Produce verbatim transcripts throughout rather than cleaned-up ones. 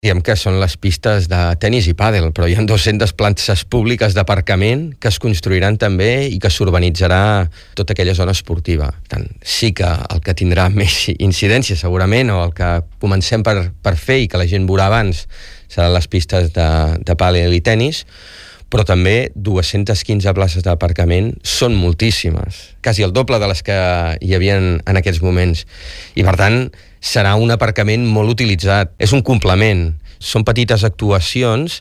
Diem que són les pistes de tenis i pàdel, però hi ha dues-centes plantes públiques d'aparcament que es construiran també i que s'urbanitzarà tota aquella zona esportiva. Per tant, sí que el que tindrà més incidència segurament, o el que comencem per, per fer i que la gent veurà abans, seran les pistes de, de pàdel i tenis, però també dues-centes quinze places d'aparcament són moltíssimes, quasi el doble de les que hi havia en aquests moments. I per tant, serà un aparcament molt utilitzat. És un complement. Són petites actuacions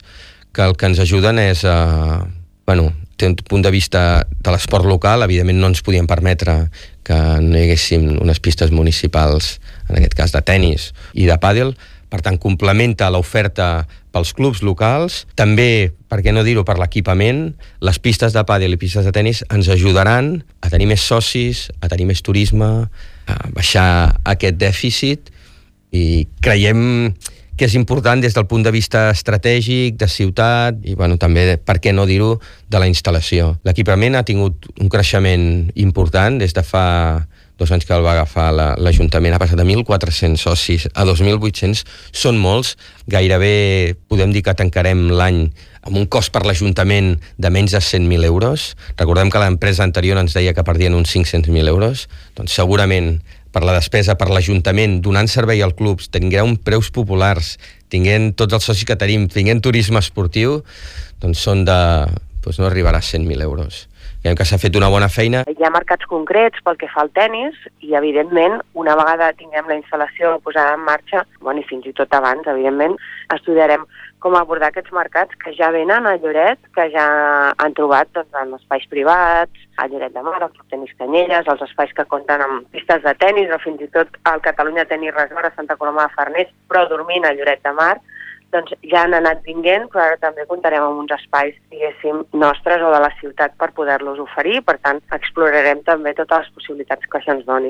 que el que ens ajuden és a... Bueno, des d'un punt de vista de l'esport local, evidentment no ens podíem permetre que no hi haguessin unes pistes municipals, en aquest cas de tenis i de pàdel. Per tant, complementa l'oferta pels clubs locals. També, per què no dir-ho, per l'equipament. Les pistes de pàdel i pistes de tenis ens ajudaran a tenir més socis, a tenir més turisme, a baixar aquest dèficit, i creiem que és important des del punt de vista estratègic, de ciutat, i bueno, també, per què no dir-ho, de la instal·lació. L'equipament ha tingut un creixement important des de fa dos anys que el va agafar la, l'Ajuntament, ha passat de mil quatre-cents socis a dos mil vuit-cents, són molts, gairebé podem dir que tancarem l'any amb un cost per l'Ajuntament de menys de cent mil euros. Recordem que l'empresa anterior ens deia que perdien uns cinc-cents mil euros, doncs segurament per la despesa per l'Ajuntament, donant servei als clubs, tinguem preus populars, tinguent tots els socis que tenim, tinguent turisme esportiu, doncs són de... doncs no arribarà a cent mil euros. Creiem que s'ha fet una bona feina. Hi ha mercats concrets pel que fa al tenis i, evidentment, una vegada tinguem la instal·lació posada en marxa, bueno, i fins i tot abans, evidentment, estudiarem com abordar aquests mercats que ja venen a Lloret, que ja han trobat doncs, en espais privats, a Lloret de Mar, al Club Tenis Canyelles, els espais que compten amb pistes de tenis, o fins i tot al Catalunya Tenis Resort a Santa Coloma de Farners, però dormint a Lloret de Mar, doncs ja han anat vinguent, però ara també comptarem amb uns espais, diguéssim, nostres o de la ciutat per poder-los oferir. Per tant, explorarem també totes les possibilitats que això ens doni.